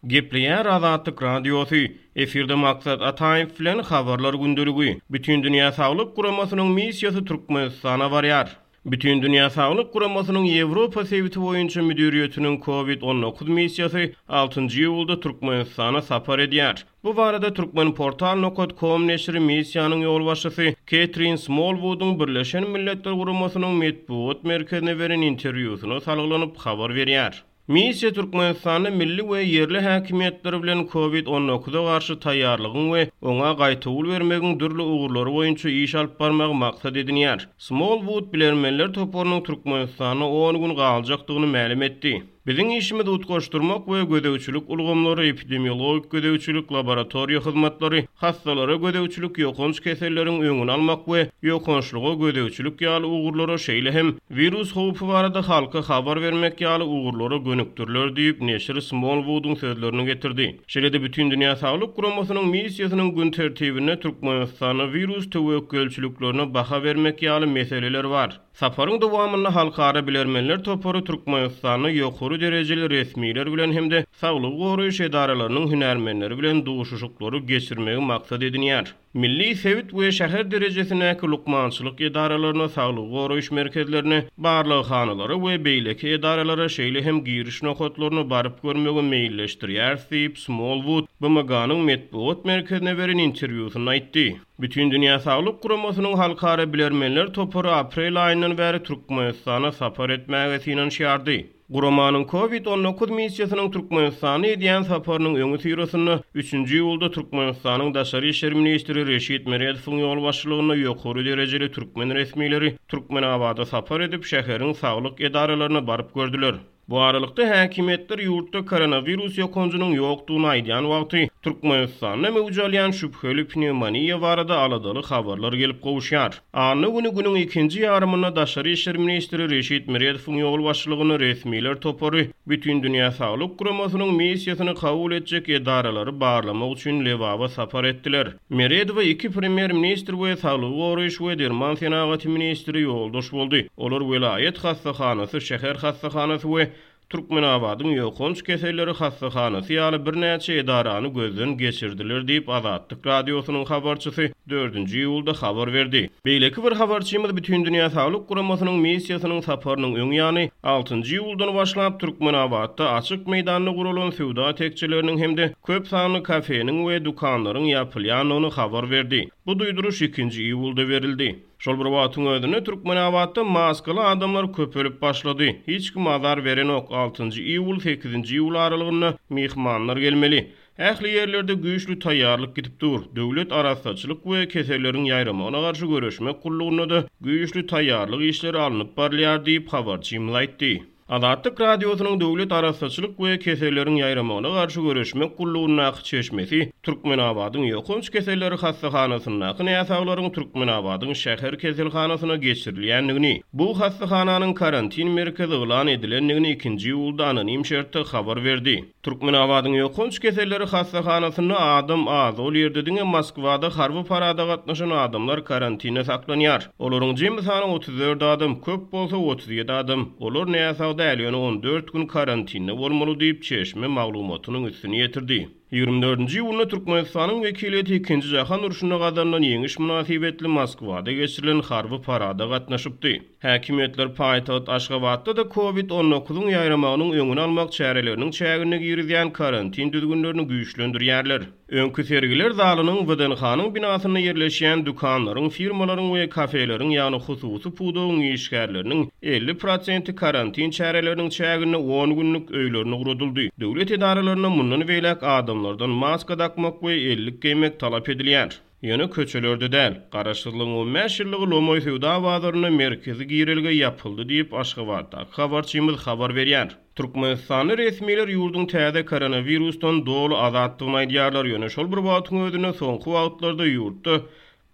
Gepleýär Azatlyk Radiosy, Efirde Maksat Ataýew bilen Habarlar gündeligi. Bütindünýä Saglyk Guramasynyň missiýasy Türkmenistana barýar. Bütindünýä Saglyk Guramasynyň Ýewropa sebiti boýunça müdiriýetiniň Covid 19 missiýasy altynjy iýulda Türkmenistana sapar edýär. Bu barada Turkmenportal nokat kom neşiri missiýanyň ýolbaşçysy Ketrin Smolwudyň Birleşen Milletler Guramasynyň metbugat merkezine beren interwýusyna salgylanyp habar berýär. Missiýa Türkmenistanda milli we ýerli häkimiýetler bilen Covid 19-a garşy taýýarlygyň we oňa gaýtawul bermegiň dürli ugurlary boýunça iş alyp barmagy maksat edinýär. Smolwud bilermenler toparynyň Türkmenistanda on gün galjakdygyny mälim etdi. Biziň işimiz utgaşdyrmak we gözegçilik ulgamlary, epidemiologik gözegçilik, laboratoriýa hyzmatlary, hassalara gözegçilik, ýokanç keselleriň öňüni almak we ýokançlyga gözegçilik ýaly ugurlara, şeýle hem wirus howpy barada halka habar bermek ýaly ugurlara gönükdiriler diýip, neşir Smolwudyň sözlerini getirdi. Şeýle-de Bütindünýä Saglyk Guramasynyň missiýasynyň gün tertibinde Türkmenistanda wirus töwekgelçiliklerine baha bermek ýaly meseleler bar. Saparyň dowamynda halkara bilermenler topary Türkmenistanda ýokary derejeli resmiler bilen hem-de saglygy goraýyş edaralarynyň hünärmenleri bilen duşuşyklary geçirmegi maksat edinýär. Milli, sebit we şäher derejesindäki lukmançylyk edaralaryna, saglygy goraýyş merkezlerine, barlaghanalara we beýleki edaralara, şeýle hem giriş nokatlaryna baryp görmegi meýilleşdirýäris diýip, Smolwud BMG-niň metbugat merkezine beren interwýusynda aýtdy. Bütindünýä Saglyk Guramasynyň halkara bilermenler topary aprel aýyndan bäri Türkmenistana sapar etmäge synanyşýardy. Guramanyň Covid 19 missiýasynyň Türkmenistana edýän saparynyň öňüsyrasynda, üçünji iýulda Türkmenistanyň daşary işler ministri Reşit Meredowyň ýolbaşçylygynda ýokary derejeli türkmen resmileri Türkmenabada sapar edip, şäheriň saglyk edaralaryna baryp gördüler. Bu aralykda, häkimiýetler ýurtda koronawirus ýokanjynyň ýokdugyny aýdýan wagty, Türkmenistanda möwç alýan şübheli pnewmoniýa barada aladaly habarlar gelip gowuşýar. Anna güni günüň ikinji ýarymynda daşary işler ministri Reşit Meredowyň ýolbaşçylygynda resmiler topary Bütindünýä Saglyk Guramasynyň missiýasyny kabul etjek edaralary barlamak üçin Lebaba sapar etdiler. Meredowa iki premýer-ministr we saglygy goraýyş we derman senagaty ministri ýoldaş boldy. Olar welaýat hassahanasy, şäher hassahanasy we Türkmenabadyň ýokanç keselleri hassahanasy ýaly birnäçe edarany gözden geçirdiler diýip, Azatlyk Radiosynyň habarçysy dördünji iýulda habar berdi. Beýleki bir habarçymyz Bütindünýä Saglyk Guramasynyň missiýasynyň saparynyň öň ýany, altynjy iýuldan başlap Türkmenabatda açyk meýdanda guralan söwda tekjeleriniň hem-de köp sanly kafeniň we dükanlaryň ýapylýandygyny habar berdi. Bu duýduryş ikinji iýulda berildi. Şol bir wagtyň özünde Türkmenabatda maskaly adamlar köpelip başlady. Hiç kim azar berenok, altynjy iýul, sekizinji iýul aralygynda myhmanlar gelmeli. Ähli ýerlerde güýçli taýýarlyk gidip dur. Döwlet arassaçylyk we keselleriň ýaýramagyna garşy göreşmek gullugynda-da güýçli taýýarlyk işleri alnyp barylýar diýip, habarçymyz aýtdy. Azatlyk Radiosynyň Döwlet arassaçylyk we keselleriň ýaýramagyna garşy göreşmek gullugyndaky çeşmesi Türkmenabadyň ýokanç keselleri hassahanasyndaky näsaglaryň Türkmenabadyň şäher keselhanasyna geçirilýändigini, bu hassahananyň karantin merkezi yglan edilendigini ikinji iýulda anonim şertde habar berdi. Türkmenabadyň ýokanç keselleri hassahanasynda adam az, ol ýerde diňe Moskwada harby parada gatnaşan adamlar karantinde saklanýar. Olaryň jemi sany 34 adam, köp bolsa 37 adam. Olar näsag däl, ýöne 14 gün karantinde bolmaly diýip, çeşme maglumatynyň üstüni ýetirdi. Ýigrimi dördünji iýunda Türkmenistanyň wekiliýeti Ikinji jahan urşunda gazanylan ýeňiş mynasybetli Moskwada geçirilen harby parada gatnaşypdy. Häkimiýetler paýtagt Aşgabatda-da Covid 19-yň ýaýramagynyň öňüni almak çäreleriniň çäginde girizýän karantin düzgünlerini güýçlendirýärler. Öňki sergiler zalynyň WDNH-nyň binasynda ýerleşýän dükanlaryň, firmalaryň we kafeleriň, ýagny hususy pudagyň işgärleriniň 50 prosenti karantin çäreleriniň çäginde on günlük öýlerine ugradyldy. Döwlet edaralarynda mundan beýläk adamlardan maska dakmak we ellik geýmek talap edilýär. Ýöne köçelerde däl. Garaşsyzlygyň 15 ýyllygy lomaý söwda bazarynda merkezi girelge ýapyldy diýip, Aşgabatdaky habarçymyz habar berýär. Türkmenistanly resmiler ýurduň täze koronawirusdan doly azatdygyny aýdýarlar, ýöne şol bir wagtyň özünde soňky wagtlarda ýurtda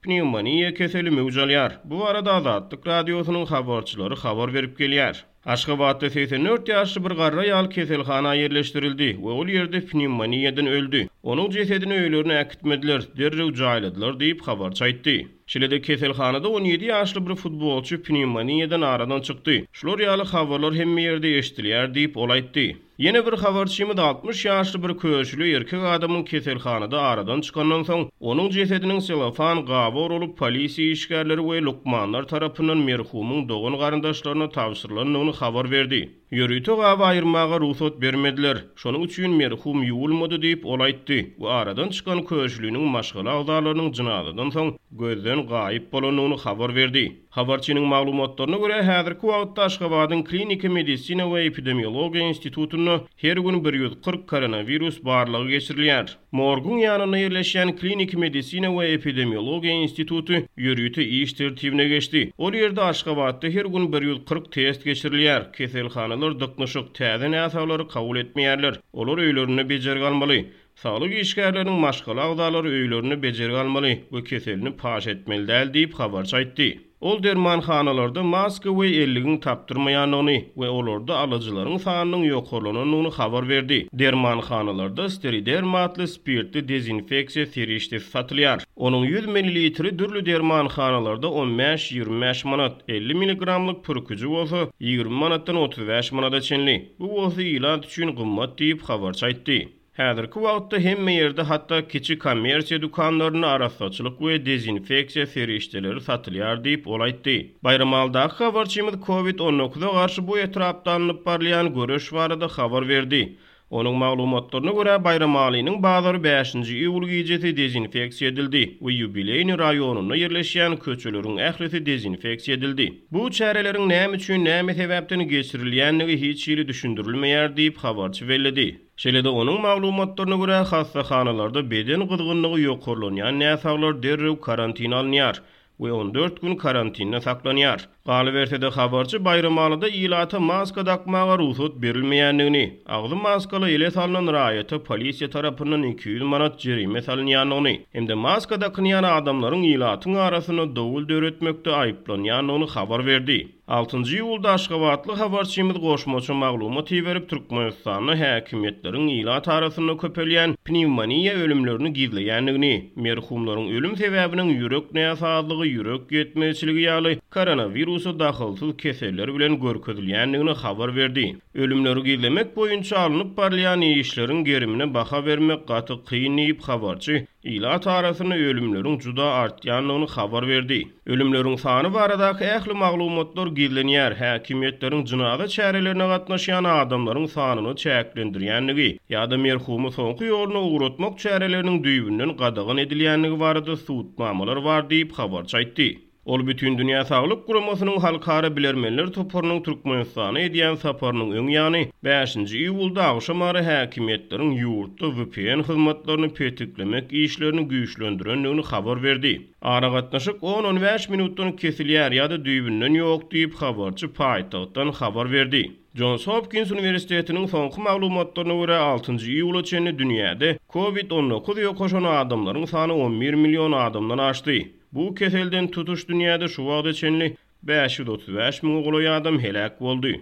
pnewmoniýa keseli möwç alýar. Bu barada Azatlyk Radiosynyň habarçylary habar berip gelýär. Aşgabatda 84 ýaşly bir garry aýal keselhana ýerleşdirildi we ol ýerde pnewmoniýadan öldi. Onuň jesedini öýlerine äkitmediler, derrew jaýladylar diýip, habarçy aýtdy. Şeýle-de keselhanada 17 ýaşly bir futbolçy pnewmoniýadan aradan çykdy. Şular ýaly habarlar hemme ýerde eşidilýär diýip, ol aýtdy. Ýene bir habarçymyz 60 ýaşly bir köşüli erkek adamyň keselhanada aradan çykandan soň, onuň jesediniň selofan gaba oralyp, polisiýa işgärleri we lukmanlar tarapyndan merhumyň dogan-garyndaşlaryna tabşyrylandygyny habar berdi. Ýörite gaby aýyrmaga rugsat bermediler. Şonuň üçin merhum ýuwulmady diýip, ol aýtdy we aradan çykan köşüliniň maşgala agzalarynyň jynazadan soň gözden gaýyp bolandygyny habar berdi. Habarçynyň maglumatlaryna görä, häzirki wagtda Aşgabadyň Kliniki medisina we epidemiologiýa institutynda her gün 140 koronawirus barlagy geçirilýär. Morguň ýanynda ýerleşýän Kliniki medisina we epidemiologiýa instituty ýörite iş tertibine geçdi. Ol ýerde Aşgabatda her gün 140 test geçirilýär. Keselhanalar dyknyşyk, täze näsaglary kabul etmeýärler. Olar öýlerinde bejergi almaly. Saglyk işgärleriniň maşgala agzalary öýlerinde bejergi almaly we keselini paş etmeli däl diýip, habarçy aýtdy. Ol dermanhanalarda maska we elligiň tapdyrmaýandygyny we olarda alyjylaryň sanynyň ýokarlanandygyny habar berdi. Dermanhanalarda Steriderm atly spirtli dezinfeksiýa serişdesi satylýar. Onuň 100 millilitri dürli dermanhanalarda on bäş-ýigrimi bäş manat, 50 milligramlyk pürküji bolsa 20 manatdan 35 manada çenli. Bu bolsa ilat üçin gymmat diýip, habarçy aýtdy. Häzirki wagtda hemme ýerde, hatda kiçi kommersiýa dükanlarynda arassaçylyk we dezinfeksiýa serişdeleri satylýar diýip, ol aýtdy. Baýramalydaky habarçymyz Covid 19-a garşy bu etrapda alnyp barylýan göreş barada habar berdi. Onuň maglumatlaryna görä, Baýramalynyň bazary bäşinji iýul gijesi dezinfeksiýa edildi we Ýubileýnyý raýonynda ýerleşýän köçeleriň ählisi dezinfeksiýa edildi. Bu çäreleriň näme üçin, näme sebäpden geçirilýändigi hiç hili düşündirilmeýär diýip, habarçy belledi. Şeýle-de onuň maglumatlaryna görä, hassahanalarda beden gyzgynlygy ýokarlanýan näsaglar derrew karantine alynýar we 14 gün karantinde saklanýar. Galyberse-de, habarçy Baýramalyda ilata maska dakmaga rugsat berilmeýändigini, agzy maskaly ele salnan raýata polisiýa tarapyndan 200 manat jerime salynýandygyny hem-de maska dakynýan adamlaryň ilatyň arasynda dowul döretmekde aýyplanýandygyny habar berdi. Altynjy iýulda aşgabatly habarçymyz goşmaça maglumat iberip, Türkmenistanda häkimiýetleriň ilat arasynda köpelýän pnewmoniýa ölümlerini gizleýändigini, merhumlaryň ölüm sebäbiniň ýürek näsazlygy, ýürek ýetmezçiligi ýaly koronawirusa dahylsyz keseller bilen görkezilýändigini habar berdi. Ölümleri gizlemek boýunça alnyp barylýan işleriň gerimine baha bermek gaty kyn diýip, habarçy ilat arasynda ölümleriň juda artýandygyny habar berdi. Ölümleriň sany baradaky ähli maglumatlar gizlenýär, häkimiýetleriň jynaza çärelerine gatnaşýan adamlaryň sanyny çäklendirýändigi ýa-da merhumy soňky ýoluna ugratmak çäreleriniň düýbünden gadagan edilýändigi barada subutnamalar bar diýip, habarçy aýtdy. Ol Bütindünýä Saglyk Guramasynyň Halkara bilermenler toparynyň Türkmenistana edýän saparynyň öň ýany, bäşinji iýulda agşamara häkimiýetleriň ýurtda vpn hyzmatlaryny petiklemek işlerini güýçlendirendigini habar berdi. Aragatnaşyk on-on bäş minutdan kesilýär ýa-da düýbünden ýok diýip, habarçy paýtagtdan habar berdi. Jons Hopkins uniwersitetiniň soňky maglumatlaryna görä, altynjy iýula çenli dünýäde Covid 19 ýokaşan adamlaryň sany 11 million adamdan aşdy. Bu keselden tutuş dünýäde şu wagta çenli 535 müňe golaý adam heläk boldy.